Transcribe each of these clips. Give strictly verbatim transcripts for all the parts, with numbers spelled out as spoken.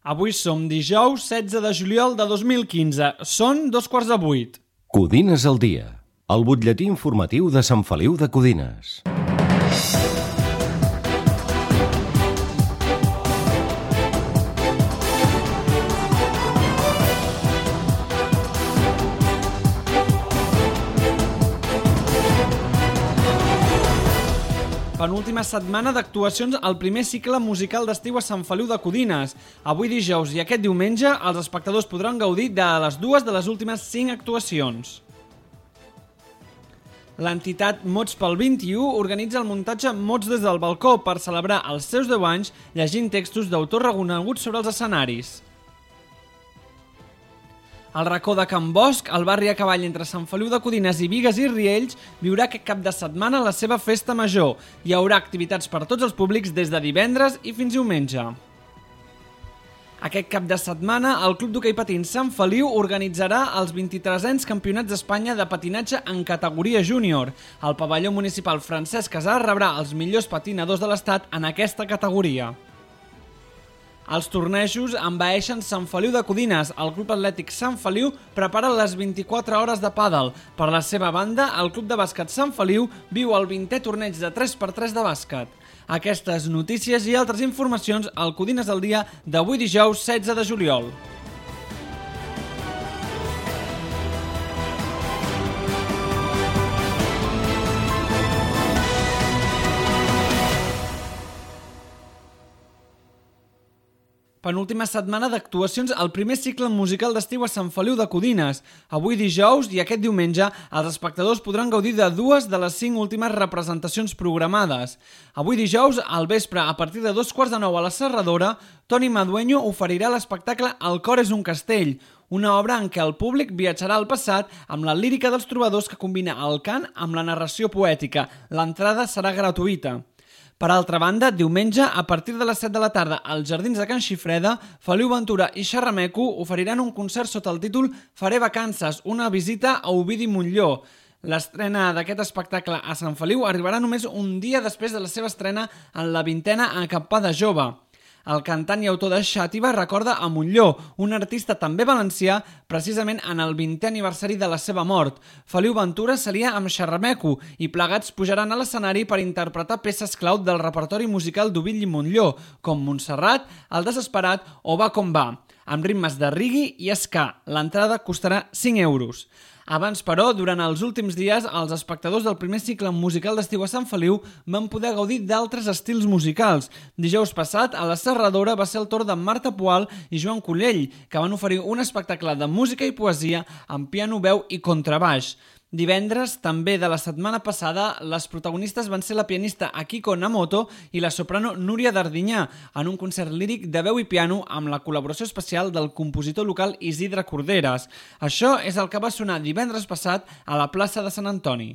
Avui som dijous setze de juliol de dos mil quinze. Són dos quarts de vuit. Codines al dia. El butlletí informatiu de Sant Feliu de Codines. Penúltima setmana d'actuacions al primer cicle musical d'estiu a Sant Feliu de Codines. Avui dijous i aquest diumenge els espectadors podran gaudir de les dues de les últimes cinc actuacions. L'entitat Mots pel vint-i-u organitza el muntatge Mots des del balcó per celebrar els seus deu anys llegint textos d'autors reconeguts sobre els escenaris. El racó de Can Bosch, el barri a cavall entre Sant Feliu de Codines i Bigues i Riells, viurà aquest cap de setmana la seva festa major. Hi haurà activitats per tots els públics des de divendres i fins diumenge. Aquest cap de setmana, el Club d'Hoquei Patins Sant Feliu organitzarà els vint-i-tresens Campionats d'Espanya de patinatge en categoria júnior. El pavelló municipal Francesc Casà rebrà els millors patinadors de l'estat en aquesta categoria. Els tornejos envaeixen Sant Feliu de Codines. El Club Atlètic Sant Feliu prepara les vint-i-quatre hores de pàdel. Per la seva banda, el Club de Bàsquet Sant Feliu viu el vintè torneig de tres per tres de bàsquet. Aquestes notícies i altres informacions al Codines al dia d'avui dijous setze de juliol. Penúltima setmana d'actuacions al primer cicle musical d'estiu a Sant Feliu de Codines. Avui dijous i aquest diumenge els espectadors podran gaudir de dues de les cinc últimes representacions programades. Avui dijous, al vespre, a partir de dos quarts de nou a la Serradora, Toni Madueño oferirà l'espectacle El cor és un castell, una obra en què el públic viatjarà al passat amb la lírica dels trobadors que combina el cant amb la narració poètica. L'entrada serà gratuïta. Per altra banda, diumenge, a partir de les set de la tarda, als Jardins de Can Xifreda, Feliu Ventura i Xerrameco oferiran un concert sota el títol Faré vacances, una visita a Ovidi Montllor. L'estrena d'aquest espectacle a Sant Feliu arribarà només un dia després de la seva estrena en la vintena Acampada Jove. El cantant i autor de Xàtiva recorda a Montllor, un artista també valencià, precisament en el vintè aniversari de la seva mort. Feliu Ventura seria amb Xerrameco i plegats pujaran a l'escenari per interpretar peces clau del repertori musical d'Ovidi Montllor, com Montserrat, El desesperat o Va com va, amb ritmes de reggae i ska. L'entrada costarà cinc euros. Abans, però, durant els últims dies, els espectadors del primer cicle musical d'estiu a Sant Feliu van poder gaudir d'altres estils musicals. Dijous passat, a la Serradora va ser el torn de Marta Poal i Joan Collell, que van oferir un espectacle de música i poesia amb piano, veu i contrabaix. Divendres, també de la setmana passada, les protagonistes van ser la pianista Akiko Namoto i la soprano Núria Dardinyà en un concert líric de veu i piano amb la col·laboració especial del compositor local Isidre Corderes. Això és el que va sonar divendres passat a la plaça de Sant Antoni.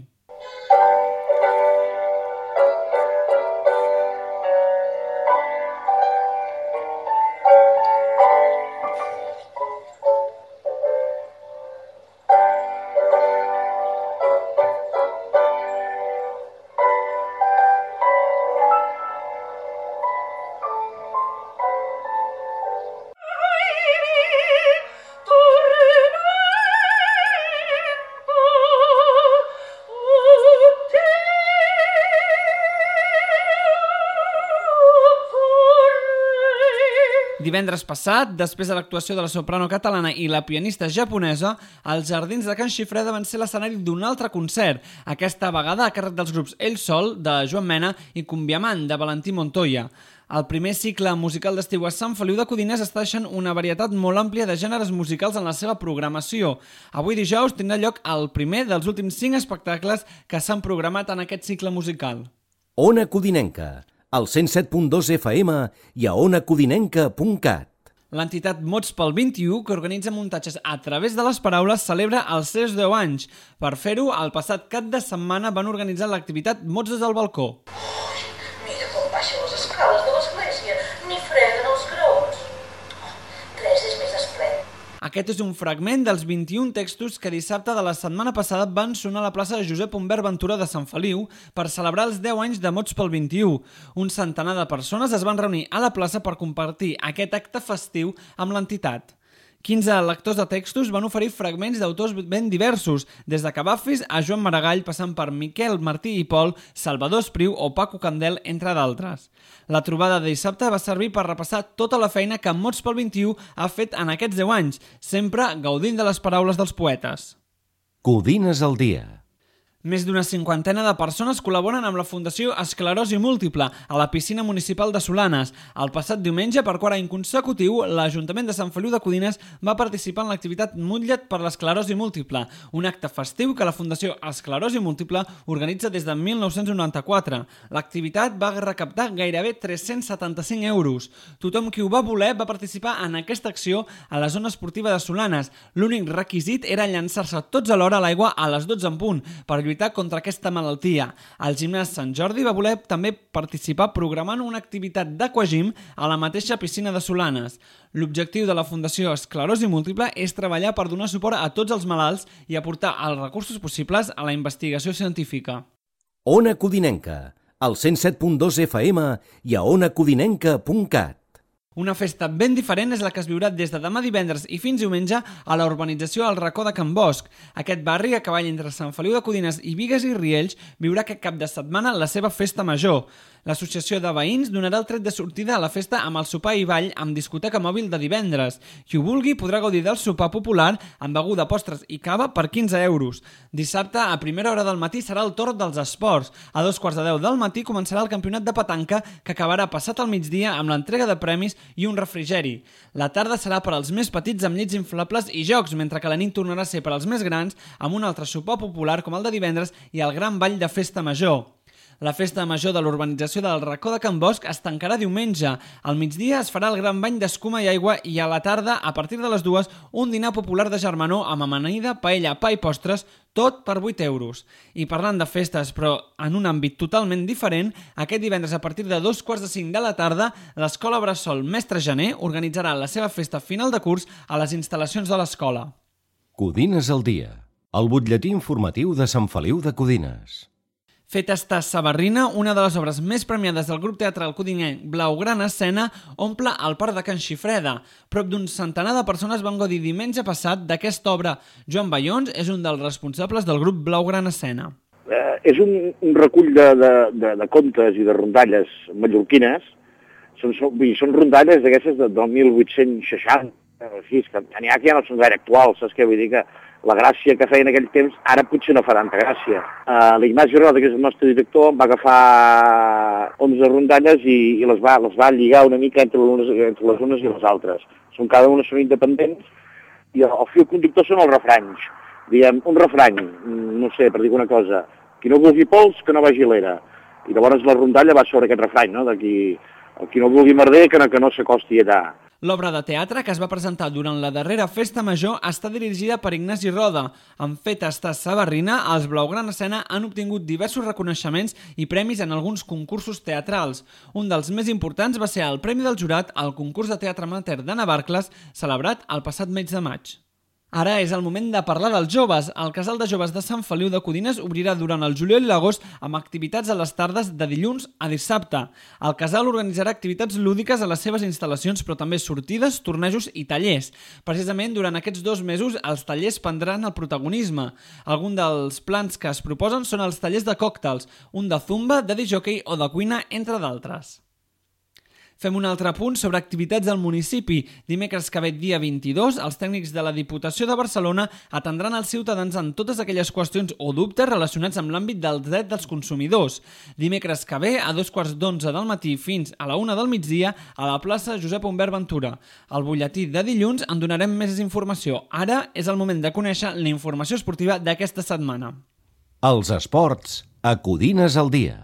Divendres passat, després de l'actuació de la soprano catalana i la pianista japonesa, els Jardins de Can Xifreda van ser l'escenari d'un altre concert, aquesta vegada a càrrec dels grups Ell Sol, de Joan Mena, i Cumbiamant, de Valentí Montoya. El primer cicle musical d'estiu a Sant Feliu de Codines està deixant una varietat molt àmplia de gèneres musicals en la seva programació. Avui dijous tindrà lloc el primer dels últims cinc espectacles que s'han programat en aquest cicle musical. Ona Codinenca, al cent set punt dos F M i a ona codinenca punt cat. L'entitat Mots pel vint-i-u, que organitza muntatges a través de les paraules, celebra els seus deu anys. Per fer-ho, el passat cap de setmana van organitzar l'activitat Mots des del balcó. Mira com baixen les escales de l'església, ni freguen els graons. Tres és més esplèndid. Aquest és un fragment dels vint-i-un textos que dissabte de la setmana passada van sonar a la plaça de Josep Humbert Ventura de Sant Feliu per celebrar els deu anys de Mots pel vint-i-u. Un centenar de persones es van reunir a la plaça per compartir aquest acte festiu amb l'entitat. quinze lectors de textos van oferir fragments d'autors ben diversos, des de Cavafis a Joan Maragall, passant per Miquel Martí i Pol, Salvador Espriu o Paco Candel, entre d'altres. La trobada de dissabte va servir per repassar tota la feina que Mots pel vint-i-u ha fet en aquests deu anys, sempre gaudint de les paraules dels poetes. Codines al dia. Més d'una cinquantena de persones col·laboren amb la Fundació Esclerosi Múltiple a la piscina municipal de Solanes. El passat diumenge, per quart any consecutiu, l'Ajuntament de Sant Feliu de Codines va participar en l'activitat Mutlla't per l'esclerosi múltiple, un acte festiu que la Fundació Esclerosi Múltiple organitza des de mil nou-cents noranta-quatre. L'activitat va recaptar gairebé tres-cents setanta-cinc euros. Tothom qui ho va voler va participar en aquesta acció a la zona esportiva de Solanes. L'únic requisit era llançar-se tots alhora a l'aigua a les dotze en punt per lluitar contra aquesta malaltia. El gimnàs Sant Jordi va voler també participar programant una activitat d'aquagym a la mateixa piscina de Solanes. L'objectiu de la Fundació Esclerosi Múltiple és treballar per donar suport a tots els malalts i aportar els recursos possibles a la investigació científica. Ona Codinenca, al cent set punt dos F M i a ona codinenca punt cat. Una festa ben diferent és la que es viurà des de demà divendres i fins diumenge a la urbanització al Racó de Can Bosch. Aquest barri, a cavall entre Sant Feliu de Codines i Bigues i Riells, viurà aquest cap de setmana la seva festa major. L'associació de veïns donarà el tret de sortida a la festa amb el sopar i ball amb discoteca mòbil de divendres. Qui ho vulgui podrà gaudir del sopar popular amb beguda, postres i cava per quinze euros. Dissabte, a primera hora del matí, serà el torn dels esports. A dos quarts de deu del matí començarà el campionat de petanca, que acabarà passat al migdia amb l'entrega de premis i un refrigeri. La tarda serà per als més petits amb llits inflables i jocs, mentre que la nit tornarà a ser per als més grans amb un altre sopar popular com el de divendres i el gran ball de festa major. La festa major de l'urbanització del Racó de Can Bosch es tancarà diumenge. Al migdia es farà el gran bany d'escuma i aigua i a la tarda, a partir de les dues, un dinar popular de germanor amb amanida, paella, pa i postres, tot per vuit euros. I parlant de festes, però en un àmbit totalment diferent, aquest divendres a partir de dos quarts de cinc de la tarda, l'Escola Bressol Mestre Janer organitzarà la seva festa final de curs a les instal·lacions de l'escola. Codines al dia, el butlletí informatiu de Sant Feliu de Codines. Feta està Sabarrina, una de les obres més premiades del grup teatral codinenc Blaugrana Escena, omple el Parc de Can Xifreda. Prop d'un centenar de persones van gaudir diumenge passat d'aquesta obra. Joan Bayons és un dels responsables del grup Blaugrana Escena. Eh, és un, un recull de, de, de, de contes i de rondalles mallorquines. Són, són, vull dir, són rondalles d'aquestes de, del mil vuit-cents seixanta, així, que n'hi ha que ja no són gaire actuals, saps què? Vull dir que la gràcia que feia en aquell temps ara potser no fa tanta gràcia. Uh, L'Ignasi Roda, que és el nostre director, va agafar onze rondalles i, i les, va, les va lligar una mica entre les, entre les unes i les altres. Són, cada una són independents i el, el fil conductor són els refranys. Diguem, un refrany, no sé, per dir una cosa, qui no vulgui pols, que no vagi a l'era. I llavors la rondalla va sobre aquest refrany, no? De qui, qui no vulgui merder, que no, que no s'acosti allà. L'obra de teatre, que es va presentar durant la darrera festa major, està dirigida per Ignasi Roda. En Feta està Sabarrina, els Blaugrana Escena han obtingut diversos reconeixements i premis en alguns concursos teatrals. Un dels més importants va ser el Premi del Jurat al concurs de teatre amateur de Navarcles, celebrat el passat mes de maig. Ara és el moment de parlar dels joves. El Casal de Joves de Sant Feliu de Codines obrirà durant el juliol i l'agost amb activitats a les tardes de dilluns a dissabte. El casal organitzarà activitats lúdiques a les seves instal·lacions, però també sortides, tornejos i tallers. Precisament durant aquests dos mesos els tallers prendran el protagonisme. Alguns dels plans que es proposen són els tallers de còctels, un de zumba, de disc-jockey o de cuina, entre d'altres. Fem un altre punt sobre activitats al municipi. Dimecres que ve dia vint-i-dos, els tècnics de la Diputació de Barcelona atendran els ciutadans en totes aquelles qüestions o dubtes relacionats amb l'àmbit del dret dels consumidors. Dimecres que ve, a dos quarts d'onze del matí fins a la una del migdia, a la plaça Josep Humbert Ventura. Al butlletí de dilluns en donarem més informació. Ara és el moment de conèixer la informació esportiva d'aquesta setmana. Els esports a Codines al dia.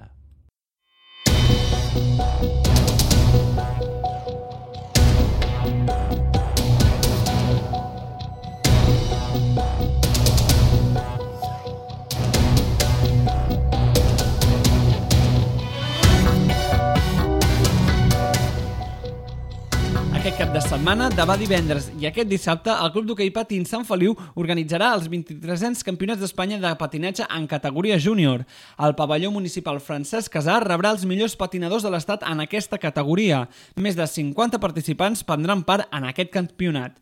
Aquest cap de setmana setmana demà divendres i aquest dissabte el Club d'Hoquei Patins Sant Feliu organitzarà els vint-i-tresens Campionats d'Espanya de patinatge en categoria júnior. El pavelló municipal Francesc Casar rebrà els millors patinadors de l'estat en aquesta categoria. Més de cinquanta participants prendran part en aquest campionat.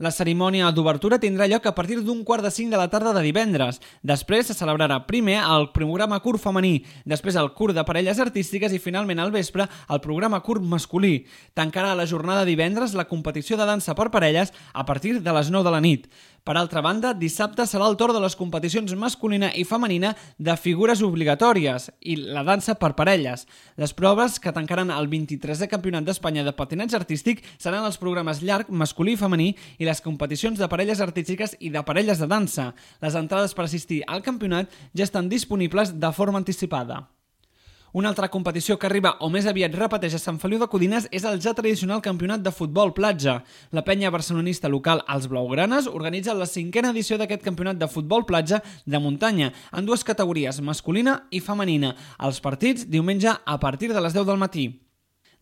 La cerimònia d'obertura tindrà lloc a partir d'un quart de cinc de la tarda de divendres. Després se celebrarà primer el programa curt femení, després el curt de parelles artístiques i finalment al vespre el programa curt masculí. Tancarà la jornada divendres la competició de dansa per parelles a partir de les nou de la nit. Per altra banda, dissabte serà el torn de les competicions masculina i femenina de figures obligatòries i la dansa per parelles. Les proves que tancaran el vint-i-tresè Campionat d'Espanya de patinatge artístic seran els programes llarg, masculí i femení i les competicions de parelles artístiques i de parelles de dansa. Les entrades per assistir al campionat ja estan disponibles de forma anticipada. Una altra competició que arriba o més aviat repeteix a Sant Feliu de Codines és el ja tradicional campionat de futbol platja. La penya barcelonista local Els Blaugranes organitza la cinquena edició d'aquest campionat de futbol platja de muntanya en dues categories, masculina i femenina. Els partits diumenge a partir de les deu del matí.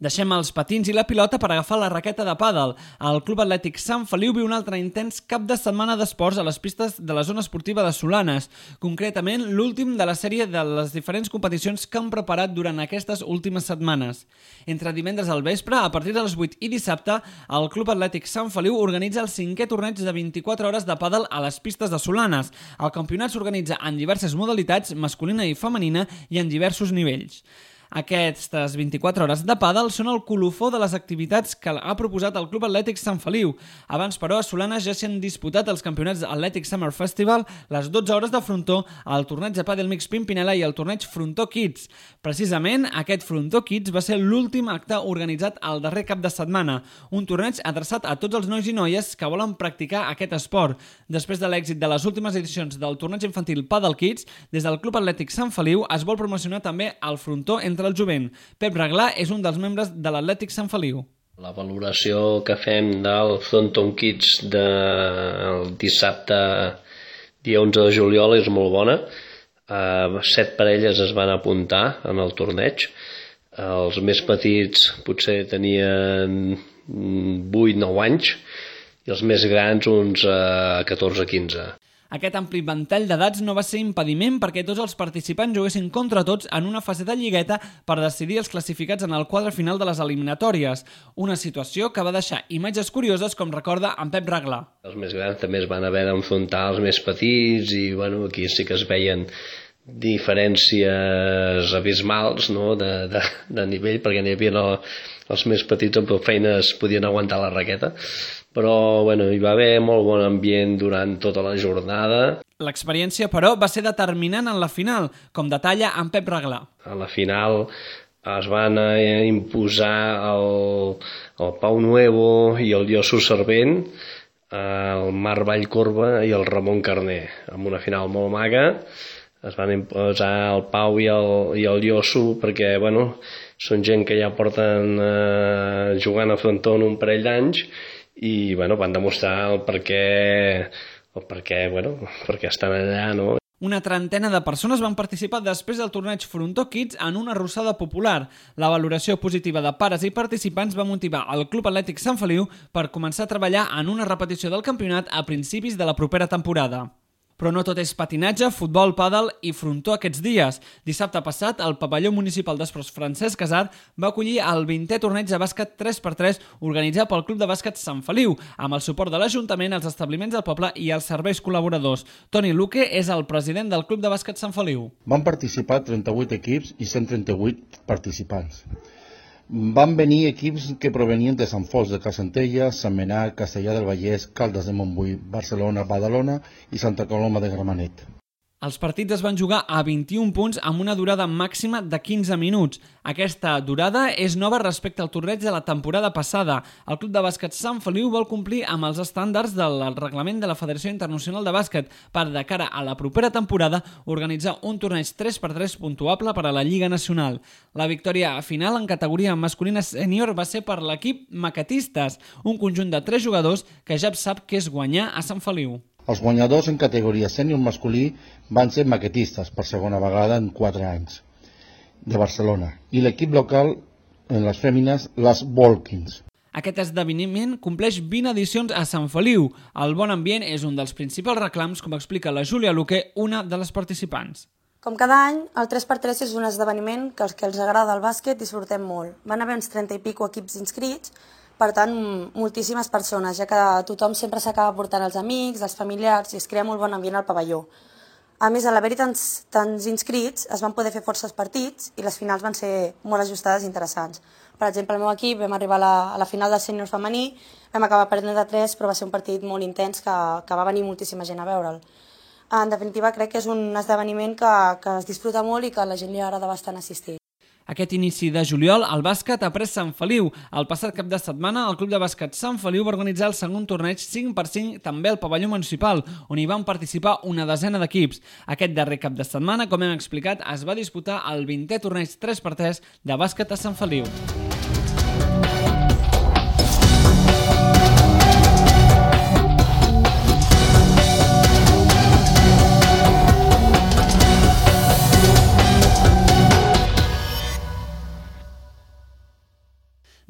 Deixem els patins i la pilota per agafar la raqueta de pàdel. El Club Atlètic Sant Feliu viu un altre intens cap de setmana d'esports a les pistes de la zona esportiva de Solanes, concretament l'últim de la sèrie de les diferents competicions que han preparat durant aquestes últimes setmanes. Entre divendres al vespre, a partir de les vuit i dissabte, el Club Atlètic Sant Feliu organitza el cinquè torneig de vint-i-quatre hores de pàdel a les pistes de Solanes. El campionat s'organitza en diverses modalitats, masculina i femenina, i en diversos nivells. Aquestes vint-i-quatre hores de pàdel són el colofó de les activitats que ha proposat el Club Atlètic Sant Feliu. Abans, però, a Solanes ja s'han disputat els campionats Atlètic Summer Festival, les dotze hores de frontó, el torneig de pàdel mix Pimpinela i el torneig Frontó Kids. Precisament, aquest Frontó Kids va ser l'últim acte organitzat el darrer cap de setmana, un torneig adreçat a tots els nois i noies que volen practicar aquest esport. Després de l'èxit de les últimes edicions del torneig infantil Pàdel Kids, des del Club Atlètic Sant Feliu es vol promocionar també el frontó entre el jovent. Pep Reglà és un dels membres de l'Atlètic Sant Feliu. La valoració que fem del Fronton Kids del dissabte dia onze de juliol és molt bona. Uh, set parelles es van apuntar en el torneig. Uh, els més petits potser tenien vuit nou anys i els més grans uns uh, catorze quinze. Aquest ampli ventall d'edats no va ser impediment perquè tots els participants juguessin contra tots en una fase de lligueta per decidir els classificats en el quadre final de les eliminatòries. Una situació que va deixar imatges curioses, com recorda en Pep Reglà. Els més grans també es van haver d'enfrontar als més petits i bueno, aquí sí que es veien diferències abismals, no? de, de, de nivell, perquè n'hi havia no, els més petits amb feines podien aguantar la raqueta. Però bueno, hi va haver molt bon ambient durant tota la jornada. L'experiència, però, va ser determinant en la final, com detalla en Pep Reglà. A la final es van imposar el, el Pau Nuevo i el Llosso Servent, el Marc Vallcorba i el Ramon Carner, amb una final molt maga. Es van imposar el Pau i el, i el Llosso perquè bueno, són gent que ja porten eh, jugant a frontó un parell d'anys i bueno, van demostrar el per què, el per què, bueno, perquè estan allà, no? Una trentena de persones van participar després del torneig Frontó Kids en una arrossada popular. La valoració positiva de pares i participants va motivar el Club Atlètic Sant Feliu per començar a treballar en una repetició del campionat a principis de la propera temporada. Però no tot és patinatge, futbol, pàdel i frontó aquests dies. Dissabte passat, el pavelló municipal d'esports Francesc Casar va acollir el vintè torneig de bàsquet tres per tres organitzat pel Club de Bàsquet Sant Feliu, amb el suport de l'Ajuntament, els establiments del poble i els serveis col·laboradors. Toni Luque és el president del Club de Bàsquet Sant Feliu. Van participar trenta-vuit equips i cent trenta-vuit participants. Van venir equips que provenien de Sant Fos de Carsentelles, Sant Menat, Castellar del Vallès, Caldes de Montbui, Barcelona, Badalona i Santa Coloma de Gramenet. Els partits es van jugar a vint-i-un punts amb una durada màxima de quinze minuts. Aquesta durada és nova respecte al torneig de la temporada passada. El Club de Bàsquet Sant Feliu vol complir amb els estàndards del reglament de la Federació Internacional de Bàsquet per, de cara a la propera temporada, organitzar un torneig tres per tres puntuable per a la Lliga Nacional. La victòria final en categoria masculina sènior va ser per l'equip Maquetistes, un conjunt de tres jugadors que ja sap què és guanyar a Sant Feliu. Els guanyadors en categoria sènior masculí van ser Maquetistes per segona vegada en quatre anys de Barcelona i l'equip local en les fèmines, les Volkins. Aquest esdeveniment compleix vint edicions a Sant Feliu. El bon ambient és un dels principals reclams, com explica la Júlia Luque, una de les participants. Com cada any, el tres per tres és un esdeveniment que els que els agrada el bàsquet disfrutem molt. Van haver uns trenta i pico equips inscrits, per tant, moltíssimes persones, ja que tothom sempre s'acaba portant els amics, els familiars, i es crea molt bon ambient al pavelló. A més, a l'haver-hi tants, tants inscrits, es van poder fer forces partits i les finals van ser molt ajustades i interessants. Per exemple, el meu equip vam arribar a la, a la final del sènior femení, vam acabar perdent de tres, però va ser un partit molt intens que, que va venir moltíssima gent a veure'l. En definitiva, crec que és un esdeveniment que, que es disfruta molt i que a la gent li agrada bastant assistir. Aquest inici de juliol, el bàsquet ha pres Sant Feliu. El passat cap de setmana, el Club de Bàsquet Sant Feliu va organitzar el segon torneig cinc per cinc també al pavelló municipal, on hi van participar una desena d'equips. Aquest darrer cap de setmana, com hem explicat, es va disputar el vintè torneig tres per tres de bàsquet a Sant Feliu.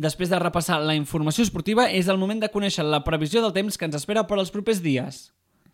Després de repassar la informació esportiva, és el moment de conèixer la previsió del temps que ens espera per als propers dies.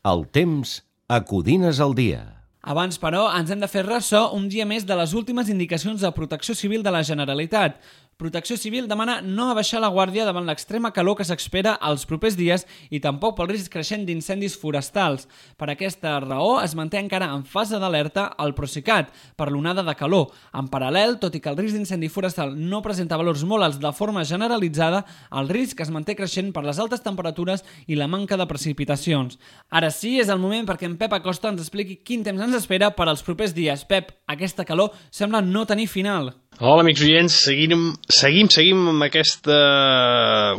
El temps a Codines al dia. Abans, però, ens hem de fer ressò un dia més de les últimes indicacions de Protecció Civil de la Generalitat. Protecció Civil demana no abaixar la guàrdia davant l'extrema calor que s'espera els propers dies i tampoc pel risc creixent d'incendis forestals. Per aquesta raó es manté encara en fase d'alerta el Procicat per l'onada de calor. En paral·lel, tot i que el risc d'incendi forestal no presenta valors molt alts de forma generalitzada, el risc es manté creixent per les altes temperatures i la manca de precipitacions. Ara sí, és el moment perquè en Pep Acosta ens expliqui quin temps ens espera per als propers dies. Pep, aquesta calor sembla no tenir final. Hola, amics oients, seguim, seguim, seguim amb aquesta,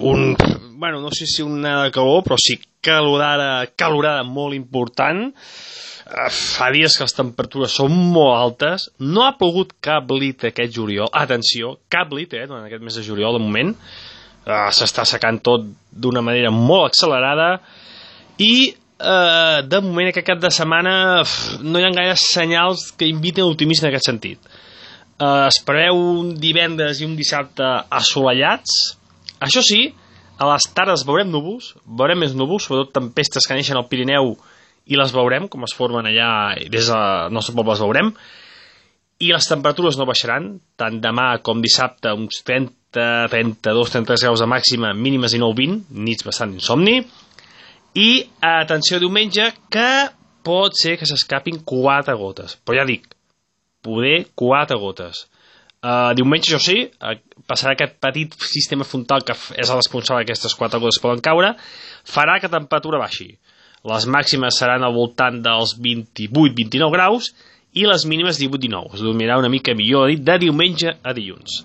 un, bueno, no sé si una de calor, però sí calorada, calorada molt important. Fa dies que les temperatures són molt altes, no ha plogut cap lit aquest juliol, atenció, cap lit, eh, durant aquest mes de juliol, de moment, uh, s'està secant tot d'una manera molt accelerada, i uh, de moment aquest cap de setmana no hi ha gaires senyals que inviten a l'optimisme en aquest sentit. Uh, es preveu un divendres i un dissabte assolellats. Això sí, a les tardes veurem núvols, veurem més núvols, sobretot tempestes que neixen al Pirineu, i les veurem, com es formen allà, i des del nostre poble les veurem, i les temperatures no baixaran, tant demà com dissabte, uns trenta, trenta-dos, trenta-tres graus de màxima, mínimes i nou vint, nits bastant insomni, i atenció diumenge, que pot ser que s'escapin quatre gotes, però ja dic, poder quatre gotes. Uh, diumenge, això sí, uh, passarà aquest petit sistema frontal que és el responsable que aquestes quatre gotes poden caure, farà que la temperatura baixi. Les màximes seran al voltant dels vint-i-vuit vint-i-nou graus i les mínimes divuit dinou. Es dormirà una mica millor de diumenge a dilluns.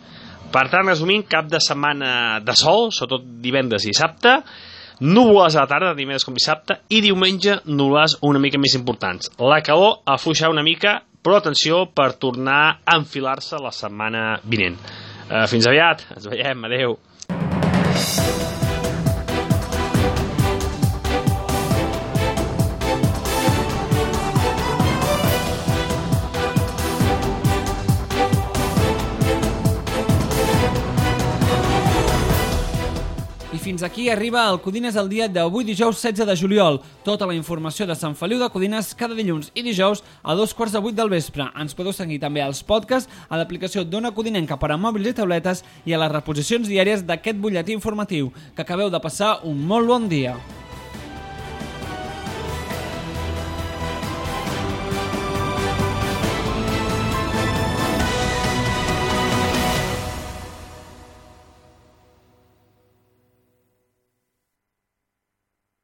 Per tant, resumint, cap de setmana de sol, sobretot divendres i dissabte, núvoles a la tarda, divendres com dissabte, i diumenge núvoles una mica més importants. La calor afluixarà una mica, però atenció per tornar a enfilar-se la setmana vinent. Uh, fins aviat, ens veiem, adeu. Fins aquí arriba el Codines al dia d'avui dijous setze de juliol. Tota la informació de Sant Feliu de Codines cada dilluns i dijous a dos quarts de vuit del vespre. Ens podeu seguir també als podcasts, a l'aplicació d'Ona Codinenca per a mòbils i tauletes i a les reposicions diàries d'aquest butlletí informatiu. Que acabeu de passar un molt bon dia.